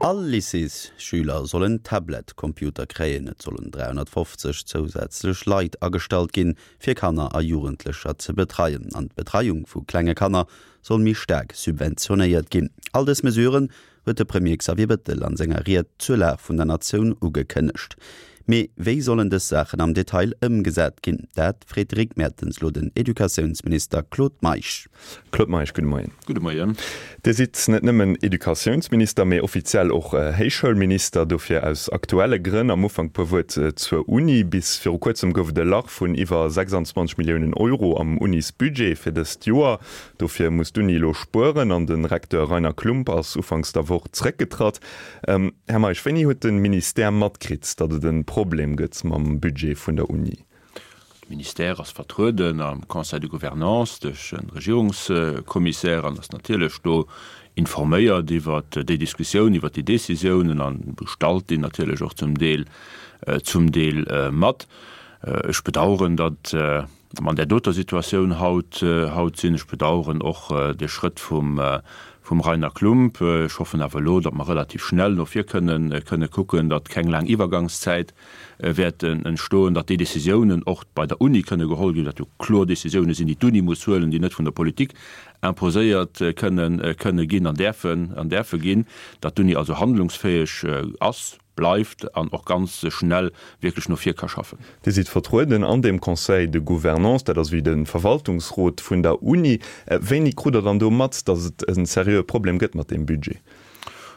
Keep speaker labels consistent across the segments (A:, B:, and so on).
A: All Lycéesschüler sollen Tablet-Computer kréien. Et sollen 350 zousätzlech Leit agestallt ginn, fir Kanner a Jugendlecher ze betreien. An d'Betreiung vu klenge Kanner soll méi staark subventionéiert ginn. All dës Mesuren huet de Premier Xavier Bettel an senger Ried zur Lag vun der Natioun ugekënnegt. Mee wéi sollen dës Saachen am Detail ëmgesat ginn? Dat freet de Rick Mertens lo den Educatiounsminister Claude Meisch.
B: Claude Meisch, gudde Moien.
C: Gudde Moien.
B: Dir sidd net nëmmen Educatiounsminister, mee offiziell och Héichschoulminister. Dofir aus aktuelle Grënn am Ufank puer Wuert zur Uni. Bis viru kuerzem gouf et e Lach vun iwwer 26 Milliounen Euro am Unisbudget fir dëst Joer. Dofir muss d'Uni elo spueren an de Recteur Rainer Klump ass ufanks der Woch zréckgetratt. Här Meisch, wéini huet de Ministère matkritt, datt et e Problem gëtt mam Budget vun der Uni?
C: De Ministère ass vertrueden am Conseil de gouvernance duerch e Regierungskommissär an ass natierlech do informéiert iwwert déi Diskussioun, iwwert déi Décisiounen a gestalt déi natierlech och zum Deel, zum Deel mat. Ech bedauern, datt Mer an där doter Situatioun haut haut sinn. Ech bedauern och de Schrëtt vum vum Rainer Klump. Ech hoffen awer elo, datt mer relativ schnell no vir kënnen kënne kucken, datt keng laang Iwwergangszäit wäert entstoen, datt déi Décisiounen och bei der Uni kënne geholl ginn, dat jo kloer Décisiounen sinn, déi d'Uni muss huelen, déi net vun der Politik imposéiert kënnen kënne ginn an däerfen an däerfe ginn, datt d'Uni also handlungsfäeg ass. bleift an och ganz schnell wierklech no vir ka schaffen.
B: Dir sidd vertrueden an deem Conseil de gouvernance, dat ass wéi de Verwaltungsrot vun der Uni. Wéini krut Der dann do mat, datt et e seriöe Problem gëtt mat deem Budget?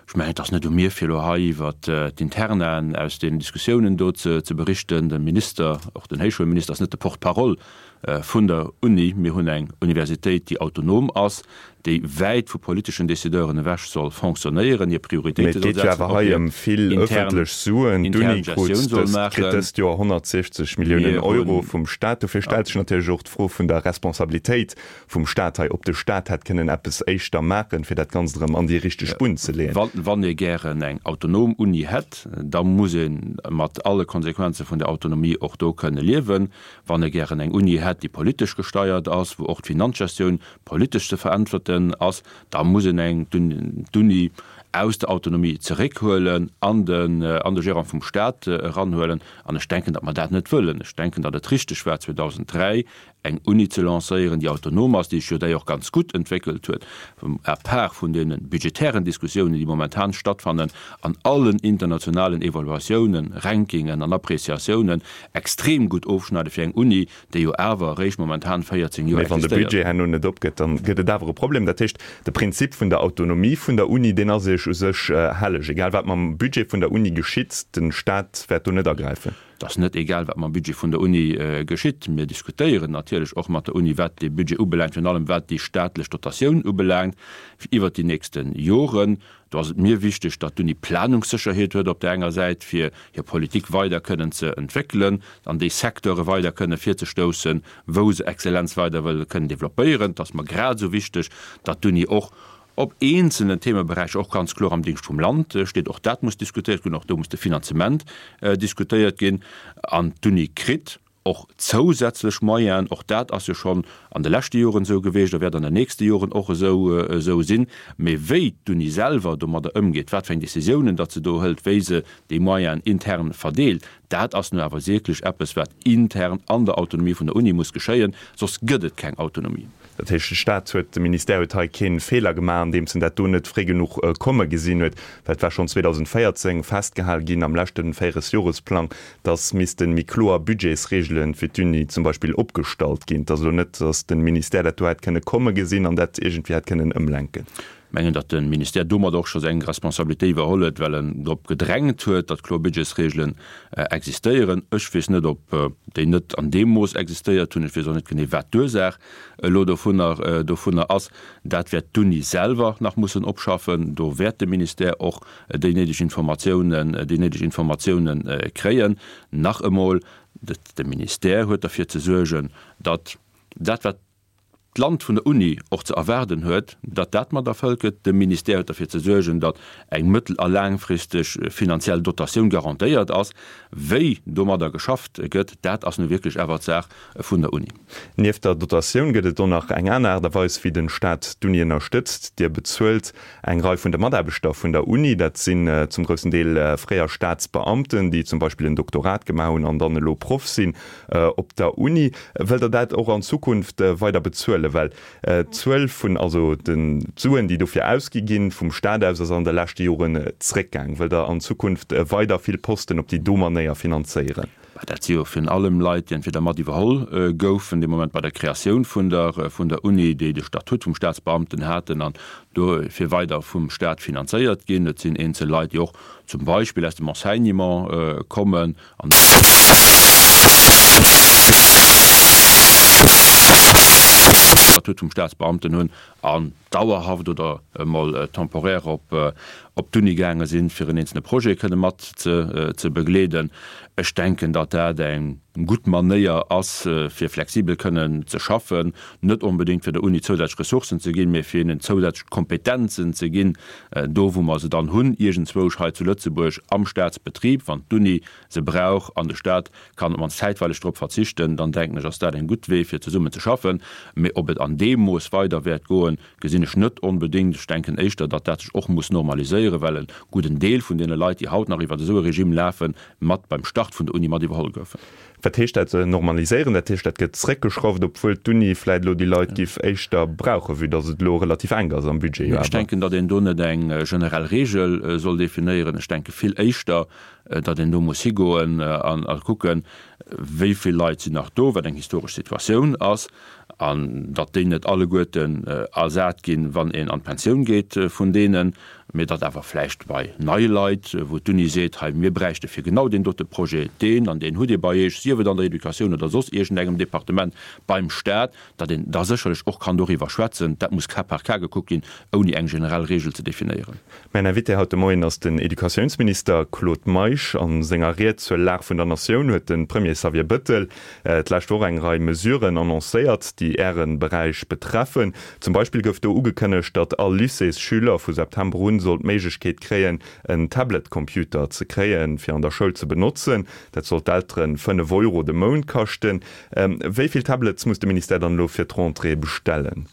C: Ech mengen, et ass net u mir, fir elo hei iwwert d'Internaen aus deenen Diskussiounen do ze berichten. De Minister, och den Héichschoulminister, ass net de Porte-parole vun der Uni. Mir hunn eng Universitéit, déi autonom ass, déi wäit vu politeschen Décideuren ewech soll fonctionnéieren, hir
B: Mee
C: Prioritéite
B: et
C: soll
B: geet jo
C: setzen,
B: awer
C: och
B: hei
C: hir
B: ëm vill
C: intern,
B: ëffentlech Suen.
C: intern
B: D'Uni krut
C: Gestioun soll
B: dëst, kritt
C: maachen.
B: dëst Joer 160 Milliounen
C: Mir
B: Euro
C: hunn,
B: vum Staat. Dofir
C: ja.
B: stellt sech natierlech och d'Fro vun der Responsabilitéit vum Staat hei, ob de Staat hätt kënnen eppes éischter maachen, fir dat Ganzt erëm an déi richteg Bunn ze leeën.
C: Wann, wann ee gären eng autonom Uni hätt, da muss ee mat alle Konsequenze vun der Autonomie och do kënne liewen. Wann ee gären eng Uni hätt, déi politesch gesteiert ass, wou och d'Finanzgestioun politesch ze veräntwerten ass, da muss een eng d'Uni aus der Autonomie zeréckhuelen an den an de Gérant vum Stat eranhuelen. An ech denken, datt mer dat net wëllen. Ech denken, datt et richteg war, 2003 eng Uni ze lancéieren, déi autonom ass, déi sech jo d'ailleurs ganz gutt entwéckelt huet, à part vun deene budgetären Diskussiounen, déi momentan stattfannen, an allen internationalen Evaluatiounen, Rankingen an Appréciatiounen extrem gutt ofschneide fir eng Uni, déi jo awer eréischt momentan 14 Joer
B: Mee wann de
C: existéiert.
B: Budget herno net opgëtt, dann gëtt et awer e Problem. Dat heescht, de Prinzip vun der Autonomie vun der Uni, deen ass Iech u sech helleg. Egal wat mam Budget vun der Uni geschitt, de Staat wäert do net agräifen.
C: Et ass net egal, wat mam Budget vun der Uni geschitt. Mir diskutéieren natierlech och mat der Uni, wat dee Budget ubelaangt, virun allem wat déi staatlech Dotatioun ubelaangt iwwert déi nächste Joren. Do ass et mir wichteg, datt d'Uni Planungssécherheet huet op där enger Säit, fir hir Politik weider kënnen ze entwéckelen an déi Secteure weider kënne virzestoussen, wou se Exzellenz weider wëll kënnen développéieren. Et ass mer grad esou wichteg, datt d'Uni och op eenzelnen Themeberäicher och ganz kloer am Dingscht vum Land steet. Och dat muss diskutéiert ginn, och do muss de Finanzement diskutéiert ginn. An d'Uni kritt Och zousätzlech Moyenen, och dat ass jo schonn an de leschte Joren esou gewiescht a wäert an den nächste Joren och esou esou sinn. Mee wéi d'Uni selwer domadder ëmgeet, wat fir eng Décisiounen datt se do hëlt, wéi se déi Moyenen intern verdeelt, dat ass nu awer wierklech eppes, wat intern an der Autonomie vun der Uni muss geschéien, soss gëtt et keng Autonomie.
B: Dat heescht, de Staat huet, de Ministère huet hei kee Feeler gemaach, andeems en dat do net fréi genuch komme gesinn huet, well et war schonn 2014 festgehal ginn am leschte Véieresjoresplang, dass misste méi kloer Budgetsregele fir d'Uni zum Beispill opgestallt ginn. Et ass elo net, dass de Ministère dat do hätt kënne komme gesinn an dat iergendwéi hätt kënnen ëmlenken.
C: Ech mengen, datt de Ministère domat och scho seng Responsabilité iwwerholl huet, well en drop gedrängt huet, datt kloer Budgetsregelen existéieren. Ech weess net, ob déi net an deem Mooss existéiert hunn. Ech weess och net genee, wat d'Ursaach elo dovunner dovunner ass. Dat wäert d'Uni selwer nach mussen opschaffen. Do wäert de Ministère och déi néideg Informatiounen, déi néideg Informatiounen kréien. Nach emol, de Ministère huet derfir ze suergen, datt dat, wat. d'Land vun der Uni och ze erwaarden huet, datt dat mat erfëllt gëtt. De Ministère huet derfir ze suergen, datt eng mëttel a laangfristeg finanziell Dotatioun garantéiert ass. Wéi domadder geschafft gëtt, dat ass nu wierklech awer d'Saach vun der Uni.
B: Nieft der Dotatioun gëtt et och nach eng aner Aart a Weis, wéi de Staat d'Uni ënnerstëtzt. Dir bezuelt eng Rei vun de Mataarbechter vun der Uni. Dat sinn zum groussen Deel fréier Staatsbeamten, déi zum Beispill en Doktorat gemaach hunn an dann elo Proff sinn op der Uni. Wëllt Der dat och an Zukunft weider bezuelen? Well d'Zuel vun, also d'Suen, déi dofir ausgi ginn vum Staat aus, ass an de leschte Joren zréckgaang. Wëllt Der an Zukunft weider vill Posten op déi do Manéier finanzéieren?
C: Mä dat si jo virun allem Leit, déi entweder mat iwwerholl goufen dee Moment bei der Kreatioun vun der vun der Uni, déi de Statut vum Staatsbeamten haten an dofir weider vum Staat finanzéiert ginn. Et sinn eenzel Leit, déi och zum Beispill aus dem Enseignement kommen an de Statut vum Staatsbeamten hunn an dauerhaft oder emol temporaire op op d'Uni gaange sinn, fir en eenzelne Projet kënne mat ze ze begleeden. Ech denken, datt dat eng gutt Manéier ass, fir flexibel kënnen ze schaffen, net onbedéngt fir der Uni zousätzlech Ressourcen ze ginn, mee fir hinnen zousätzlech Kompetenzen ze ginn, do wou mer se dann hunn, iergendzwousch hei zu Lëtzebuerg am Staatsbetrib, wann d'Uni se brauch an de Staat kann op mannst zäitweileg drop verzichten, dann denken ech, ass dat en gutt Wee fir zesummen ze schaffen. Mee ob et an deem Mooss weider wäert goen, gesinn ech net onbedéngt. Ech denken éischter, datt dat sech och muss normaliséieren, well e gudden Deel vun deene Leit, déi haut nach iwwert esou e Regime lafen, mat beim Start vun der Uni mat iwwerholl goufen.
B: Wat heescht dat normaliséieren? Dat heescht, dat gëtt zréckgeschrauft, obwuel d'Uni vläit elo déi Leit giff éischter brauchen, vue datt et elo relativ enk ass am Budget jo
C: Ech
B: awer.
C: denken, datt een do net eng generell Regel soll definéieren. Ech denke vill éischter, datt een do muss higoen a kucken, wéi vill Leit sinn nach do, wat eng historesch Situatioun ass, an datt déi net alleguerten ersat ginn, wann een an d'Pensioun geet vun deenen, mee datt awer vläicht bei neie Leit, wou d'Uni seet, hei mir bräichte fir genau deen dote Projet deen an deen hutt Dir bei Iech, sief et an der Educatioun oder soss iergendengem Departement beim Stat, datt een da sécherlech och kann doriwwer schwätzen. Dat muss cas par cas gekuckt ginn, ouni eng generell Regel ze definéieren.
B: Mäin Invité haut de Moien ass den Educatiounsminister Claude Meisch. A senger Ried zur Lag vun der Natioun huet de Premier Xavier Bëttel d'lescht Woch eng Rei Mesuren annoncéiert, déi Äre Beräich betreffen. Zum Beispill gouf do ugekënnegt, datt all Lycéesschüler vu September un soll d'Méiglechkeet kréien, en Tablet-Computer ze kréien, fir an der Schoul ze benotzen. Dat soll d'Eltere 5 Euro de Mount kaschten. Wéi vill Tablets muss de Ministère dann elo fir d'Rentrée bestellen?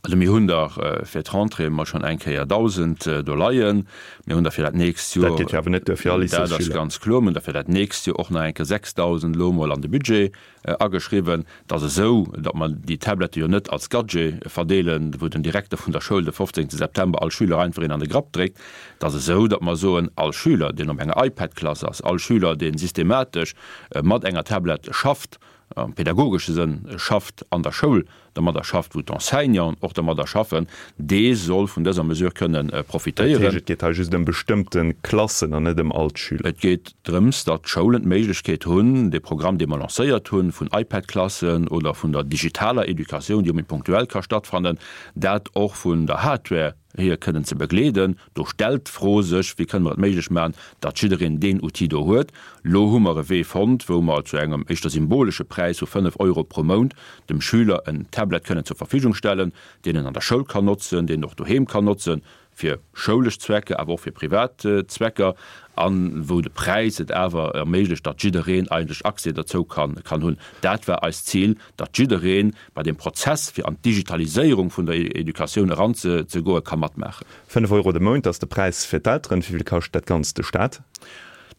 C: Also mir hunn der fir d'Rentrée emol schonn eng Kéier 1.000 do leien. Mir hunn der fir dat nächst Joer.
B: Dat geet jo awer net duer fir all
C: Lycéesschüler. Dat ass ganz kloer. Mir hunn der fir dat nächst Joer och nach eng Kéier 6.000 elo emol an de Budget ageschriwwen. Et ass esou, datt mer déi Tablette jo net als Gadget verdeelen, wou den Direkter vun der Schoul de 15 September all Schüler einfach een an de Grapp dréckt. Et ass esou, datt mer soen, all Schüler, deen op enger iPad-Klass ass, all Schüler, dee systematesch mat enger Tablette schafft, am pädagogesche Sënn schafft an der Schoul, dermadder schafft, wou d'Enseignanten och dermadder schaffen, dee soll vun dëser Mesure kënnen profitéieren.
B: Dat heescht, et geet hei just ëm bestëmmte Klassen an net ëm all d'Schüler?
C: Et geet drëms, datt d'Schoulen d'Méiglechkeet hunn, dee Programm, dee mer lancéiert hunn, vun iPad-Klassen oder vun der digitaler Educatioun, déi och méi punktuell ka stattfannen, dat och vun der Hardware hier kënnen ze begleeden. Do stellt d'Fro sech, Wéi kënne mer et méiglech maachen, datt jiddereen deen Outil do huet? Lo hu mer e Wee fonnt, wou mer zu engem éischter symbolesche Präis vu 5 Euro pro Mount dem Schüler en Tablet kënnen zur Verfügung stellen, deen en an der Schoul kann notzen, deen en och doheem kann notzen, fir schoulesch Zwecker, awer och fir privat Zwecker, a wou de Präis et awer erméiglecht, datt jiddereen eigentlech Accès derzou kann hunn. Dat war eist Zil, datt jiddereen bei deem Prozess, fir an d'Digitaliséierung vun der Educatioun eranzegoen, ka matmaachen.
B: 5 Euro de Mount ass de Präis fir d'Elteren. Wéi vill kascht dat Ganzt de Staat?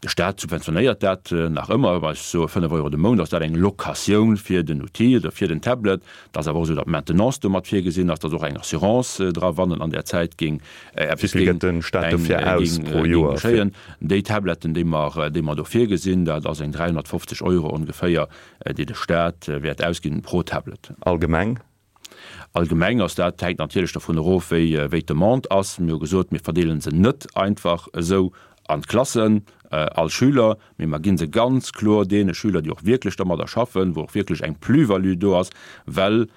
C: De Staat subventionéiert dat nach ëmmer. Wa ech soe 5 Euro de Mount, ass dat eng Locatioun fir den Outil oder fir den Tablet. Et ass awer och esou, datt d'Maintenance do mat virgesinn ass, datt och eng Assurance dra, wann en an där Zäit géing
B: eppes Wéi vill gëtt de Staat dofir aus pro Joer?
C: geschéien. Déi Tabletten, déi mer, déi mer do virgesinn, dat ass eng 350 Euro ongeféier, déi de Staat wäert ausginn pro Tablet.
B: Allgemeng?
C: Allgemeng ass dat, hänkt natierlech dovun erof, wéi wéi d'Demande ass. Mir hu gesot, mir verdeele se net einfach esou an d'Klassen, all Schüler, mee mer gi se ganz kloer deene Schüler, déi och wierklech dermadder schaffen, wou och wierklech eng Plus-value do ass, well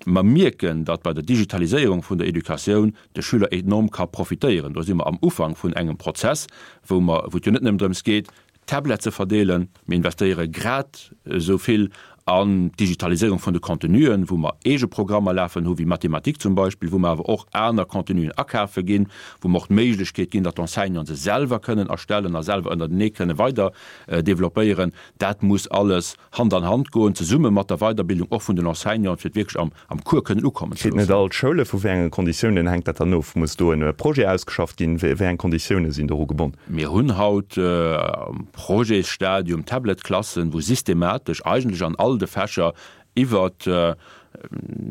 C: mer mierken, datt bei der Digitaliséierung vun der Educatioun de Schüler enorm ka profitéieren. Do si mer am Ufank vun engem Prozess, wou mer, wou et jo net nëmmen drëms geet, Tablet ze verdeelen. Mir investéiere grad esou vill. An d'Digitaliséierung vun de Contenuen, wou mer eege Programmer lafen hu wéi Mathematik zum Beispill, wou mer awer och aner Contenuen akafe ginn, wou mer och d'Méiglechkeet ginn, datt d'Enseignanten se selwer kënnen erstellen a selwer ënnertenee kënne weider developpéieren, dat muss alles Hand an Hand goen, zesumme mat der Weiderbildung och vun den Enseignanten, fir et wierklech am am Cours kënnen ukommen ze
B: Kritt net
C: loossen.
B: all d'Schoule? Vu wéi enge Konditiounen hänkt dat dann of? Muss do en Projet ausgeschafft ginn? Wéi eng Konditioune sinn doru gebonn?
C: Mir hunn haut am Projetsstadium Tablet-Klassen, wou systematesch eigentlech an all de Fächer iwwert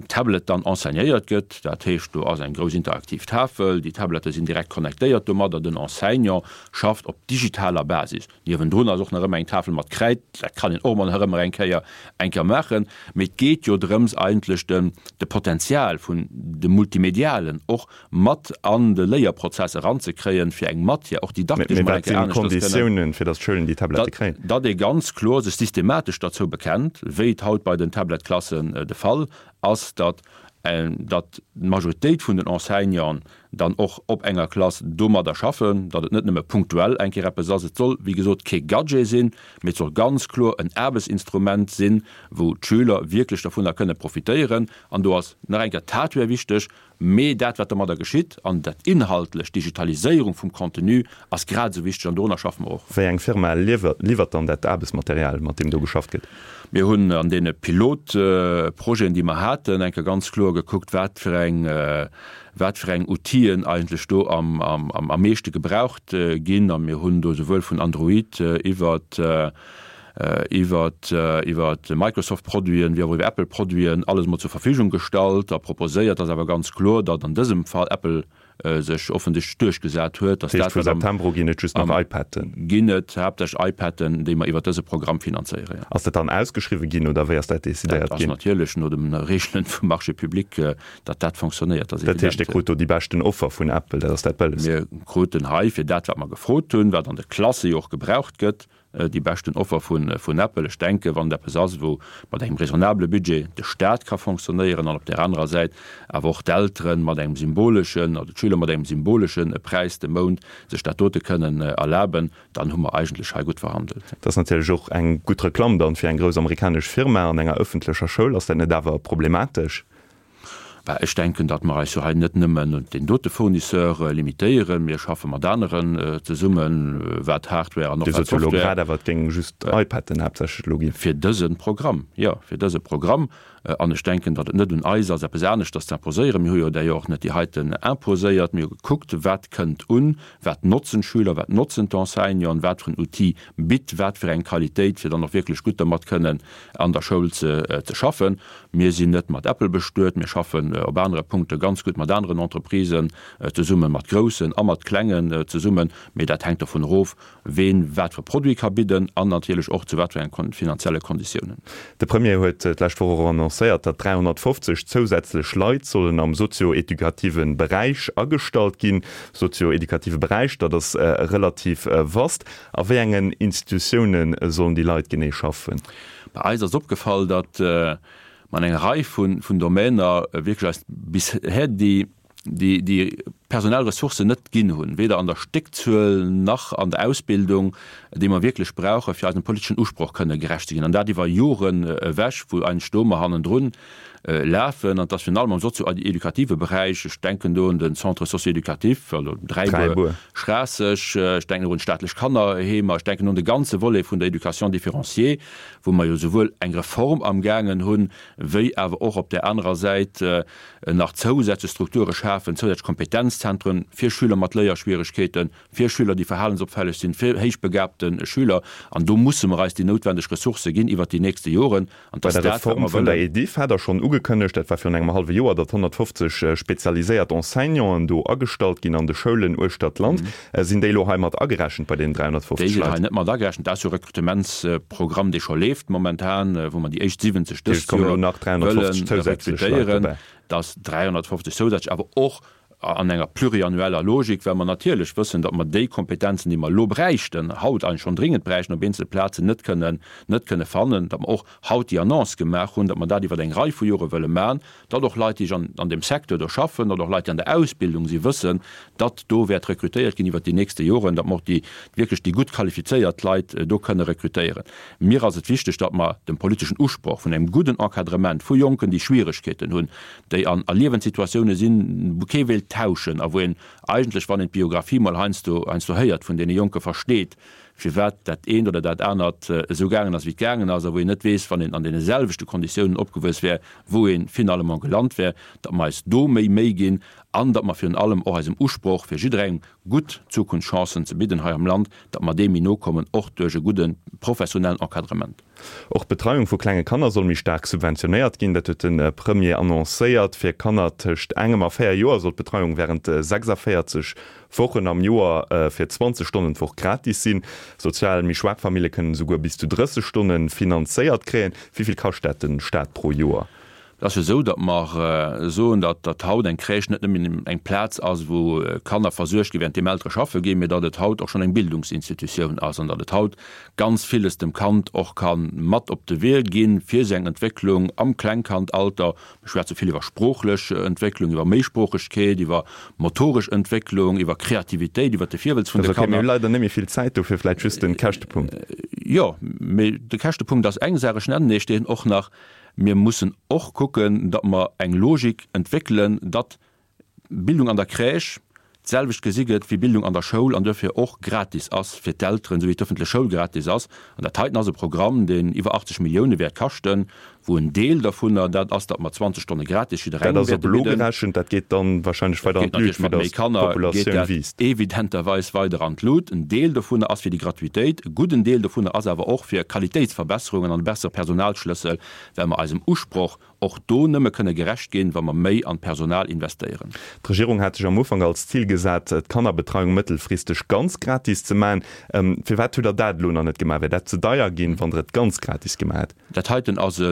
C: Tablet dann enseignéiert gëtt. Dat heescht, do ass eng grouss interaktiv Tafel, déi Tablette sinn direkt connectéiert domadder, den Enseignant schafft op digitaler Basis. Niewendrun ass och nach ëmmer eng Tafel mat Kräid, dat kann een och emol nach ëmmer eng Kéier eng Kéier maachen. Mee et geet jo drëms eigentlech de de Potenzial vun dem Multimedialen och mat an de Léierprozess eranzekréien, fir eng Matière och didaktesch
B: Mee
C: mol eng
B: wat
C: Kéier
B: sinn
C: aneschters kënnen.
B: d'Konditiounen, fir datt d'Schoulen déi Tablette kréien?
C: Datt ee ganz kloer sech systematesch derzou bekennt, wéi et haut bei den Tablet-Klassen de Fall ass, datt datt d'Majoritéit vun den Enseignanten dann och op enger Klass domadder schaffen, datt et net nëmme punktuell eng Kéier eppes ass. Et soll, wéi gesot, kee Gadget sinn, mee et soll ganz kloer en Aarbechtsinstrument sinn, wou d'Schüler wierklech dovunner kënne profitéieren. An do ass nach eng Kéier d'Hardware wichteg, mee dat, wat domadder geschitt an dat Inhaltlecht, d'Digitaliséierung vum Contenu ass grad esou wichteg an dorunner schaffe mer och.
B: Wéi eng Firma liwwert dann dat Aarbechtsmaterial, mat deem do geschafft gëtt?
C: Mir hunn an deene Pilotprojeten, déi mer haten, eng Kéier ganz kloer gekuckt, wat fir eng, wat fir eng Outile eigentlech do am am meeschte gebraucht ginn. A mir hunn do souwuel vun Android iwwert iwwert iwwert Microsoft-Produiten wéi och iwwer Apple-Produiten alles emol zur Verfügung gestallt a proposéiert. Ass awer ganz kloer, datt an dësem Fall Apple sech offensichtlech duerchgesat huet,
B: dass dat, wat am. Vu September u ginn et just nach iPaden?
C: Ginn et haaptsächlech iPaden, déi mer iwwert dëse Programm finanzéieren, jo.
B: Ass dat dann ausgeschriwwen ginn oder wéi ass dat decidéiert
C: ginn? Dat ass natierlech no de Reegelen vum Marché public, datt dat fonctionnéiert,
B: ass evident. Dat heescht, Dir krut do déi beschten Offer vun Apple, dat ass dat Bëllegst?
C: Mir kruten hei fir dat, wat mer gefrot hunn, wat an de Klasse jo och gebraucht gëtt, déi beschten Offer vun Apple. Ech denken, wann et eppes ass, wou mat engem raisonnabele Budget de Staat ka fonctionnéieren an op där anerer Säit awer och d'Eltere mat engem symboleschen, oder d'Schüler mat engem symbolesche Präis de Mount sech dat dote kënnen erlaben, dann hu mer eigentlech hei gutt verhandelt.
B: Dat ass natierlech och eng gutt Reklamm dann fir eng grouss amerikanesch Firma an enger ëffentlecher Schoul. Ass dat net awer problematesch?
C: Bah, ech denken, datt mer eis jo hei net nëmmen un deen dote Fournisseur limitéieren. Mir schaffe mat aneren zesummen, wat Hardware an och
B: Dir
C: wat
B: sot jo elo
C: Software.
B: grad awer, et géing just iPaden haaptsächlech elo ginn.
C: Fir dëse Programm, jo, fir dëse Programm. An ech denken, datt et net un eis ass, eppes aneschters ze imposéieren. Mir hu jo d'ailleurs och net déi heiten imposéiert. Mir hu gekuckt, wat kënnt un, wat notzen d'Schüler, wat notzen d'Enseignanten, wat fir en Outil bitt wat fir eng Qualitéit, fir dann och wierklech gutt dermat kënnen an der Schoul ze schaffen. Mir sinn net mat Apple bestuet, mir schaffen op anere Punkte ganz gutt mat aneren Entreprisen zesummen, mat groussen a mat klengen zesummen, mee dat hänkt dovun erof, ween wat fir e Produit ka bidden an natierlech och zu wat fir enge finanzielle Konditiounen.
B: De Premier huet d'lescht Woch och annoncéiert, datt 350 zousätzlech Leit sollen am sozio-educative Beräich agestallt ginn. Sozio-educative Beräich, dat ass relativ vast. A wéi engen Institutioune sollen déi Leit genee schaffen?
C: Bei eis ass opgefall, datt mer an enger Rei vun Domainer wierklech eis bisher déi personell Ressourcen net ginn hunn, weder an der Stéckzuel nach an der Ausbildung, déi mer wierklech brauchen, fir eisem politeschen Usproch kënne gerecht ze ginn. An dat iwwer Joren ewech, wou eigentlech do mer hannendrun lafen, an dass virun allem am sozio-edukative Beräich, ech denken do un den Centre socio-éducatif, also Dräibuer, Schraasseg, ech denken och un d'staatlech Kannerheemer, ech denken un de ganze Volet vun der Éducation différenciée, wou mer jo souwuel eng Reform amgaangen hunn, wéi awer och op där anerer Säit nach zousätzlech Strukture schafen, zousätzlech Kompetenzzentren fir Schüler mat Léierschwieregkeeten, fir Schüler, déi verhalensopfälleg sinn, fir héichbegabte Schüler. An do musse mer eis déi noutwendeg Ressourcë ginn iwwert déi nächste Joren.
B: An Bei der Reform vun der Ediff hat Der schonn ugekënnegt, dat war virun engem hallwe Joer, datt 150 spezialiséiert Enseignanten do agestallt ginn an de Schoulen uechter d'Land. Sinn déi elo hei mat agerechent bei deenen 350
C: Leit? Déi sinn hei net mat agerechent. Dat ass jo e Rekrutementsprogramm, dee scho leeft momentan, wou mer déi éischt 70 dëst Joer wëlle rekrutéieren. Dat ass 350 zousätzlech, awer och. An enger pluriannueller Logik, well mer natierlech wëssen, datt mer déi Kompetenzen, déi mer elo bräichten, haut eigentlech schonn dringend bräichten, op eenzele Plazen net kënnen, net kënne fannen, datt mer och haut déi Annonce gemaach hunn, datt mer dat iwwer eng Rei vu Jore wëlle maachen, datt och Leit, déi an an deem Secteur do schaffen, datt och Leit, déi an der Ausbildung si wëssen, datt do wäert rekrutéiert ginn iwwert déi nächste Joren, datt mer och déi wierklech déi gutt qualifizéiert Leit do kënne rekrutéieren. Mir ass et wichteg, datt mer dem politeschen Usproch vun engem gudden Encadrement vu Jonken, déi Schwieregkeeten hunn, déi an a Liewenssituatioune sinn, wou kee wéilt tauschen a wou een eigentlech, wann een d'Biographie mol heiansdo heiansdo héiert vun deene Jonke versteet, firwat dat eent oder dat anert esou gaangen ass, wéi et gaangen ass, a wou een net weess, wann een an deene selwechte Konditiounen opgewuess wär, wou ee finalement gelant wär, datt mer eis do méi Méi ginn an datt mer virun allem och eisem Usproch, fir jidderengem gutt Zukunftschancen ze bidden hei am Land, datt mer deem méi no kommen, och duerch e gudde professionellen Encadrement.
B: Och d'Betreiung vu klenge Kanner soll méi staark subventionéiert ginn. Dat huet de Premier annoncéiert. Fir Kanner tëscht engem a 4 Joer soll d'Betreiung wärend 46 Wochen am Joer fir 20 Stonnen d'Woch gratis sinn. Sozial méi schwaach Famille kënnen esouguer bis zu 30 Stonne finanzéiert kréien. Wéi vill kascht dat de Staat pro Joer?
C: Et ass jo esou, datt mer soen, datt datt haut eng Crèche net nëmmen eng Plaz ass, wou Kanner versuergt gi während deem Eltere schaffe ginn, mee datt et haut och schonn eng Bildungsinstitutioun ass an datt et haut ganz villes dem Kand och ka mat op de Wee ginn fir seng Entwécklung am Klengkandalter. Mir schwätze vill iwwer sproochlech Entwécklung, iwwer Méisproochegkeet, iwwer motoresch Entwécklung, iwwer Kreativitéit, iwwer de Virwëlz vun de
B: Kanner. Mir hu leider net méi vill Zäit, dofir vläicht just de Käschtepunkt.
C: Jo, mee de Käschtepunkt ass eng Saach. Ech nennen Iech deen och nach. Mir mussen och kucken, datt mer eng Logik entwéckelen, datt Bildung an der Crèche d'selwecht gesi gëtt wéi Bildung an der Schoul an duerfir och gratis ass fir d'Elteren, esou wéi d'ëffentlech Schoul gratis ass. An dat heiten ass e Programm, deen iwwer 80 Millioune wäert kaschten, wou en Deel dervunner dat ass, datt mer 20 Stonne gratis
B: Dat jidderengem ass op wäerte elo bidden. gerechent, dat geet dann wahrscheinlech weider an
C: d'Lut, vue datt d'Populatioun wiisst. Evidenterweis weider an d'Lut. En Deel dovunner ass fir déi Gratuitéit, e gudden Deel dovunner ass awer och fir Qualitéitsverbesserungen an e bessere Personalschlëssel, well mer eisem Usproch och do nëmme kënne gerecht ginn, wa mer méi an d'Personal investéieren.
B: D'Regierung hat sech am Ufank als Zil gesat, d'Kannerbetreiung mëttelfristeg ganz gratis ze maachen. Firwat hutt Der dat elo nach net gemaach? Wär dat ze deier ginn, wann Der et ganz gratis gemaach hätt?
C: Dat heiten ass e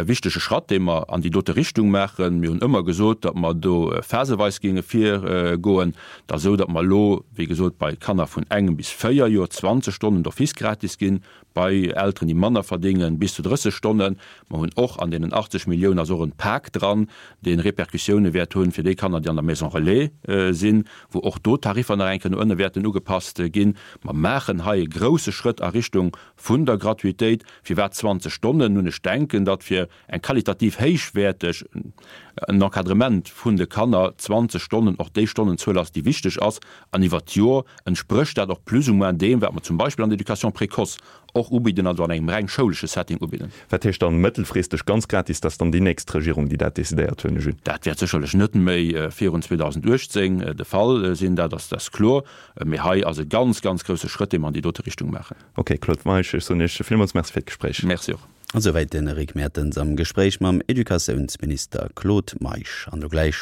C: wichtege Schratt, dee mer an déi dote Richtung maachen. Mir hunn ëmmer gesot, datt mer do phaseweis géinge virgoen, da sou datt mer elo, wéi gesot, bei Kanner vun engem bis 4 Joer 20 Stonnen d'office gratis ginn, bei Elteren, déi manner verdéngen, bis zu 30 Stonnen. Mer hunn och an deenen 80 Milliounen ass och en Pak dran, dee Repercussioune wäert hunn fir déi Kanner, déi an der Maison relais sinn, wou och do d'Tariffer nach eng Kéier no ënne wäerten ugepasst ginn. Mer maachen hei e grouse Schrëtt a Richtung vun der Gratuitéit. Firwat 20 Stonnen? Nun, ech denken, datt fir eng qualitativ héichwäerteg en Encadrement vun de Kanner 20 Stonnen och déi Stonnenzuel ass, déi wichteg ass. An iwwert d'Jor entsprécht dat och plus ou moins deem, wat mer zum Beispill an der Éducation précoce och ubidden, also an engem reng schoulesche Setting ubidden.
B: Wat heescht dann mëttelfristeg ganz gratis? Dat ass dann déi nächst Regierung, déi dat decidéiert, huelen ech un.
C: Dat wäert sécherlech net méi virun 2018 de Fall sinn, dat ass kloer. Mee hei ass e ganz, ganz grousse Schrëtt, dee mer an déi dote Richtung maachen.
B: Ok Claude Meisch, ech soen Iech villmools Merci fir d'Gespréich.
C: Merci och.
A: Esouwäit den Eric Mertens am Gespréich mam Educatiounsminister Claude Meisch. An elo gläich.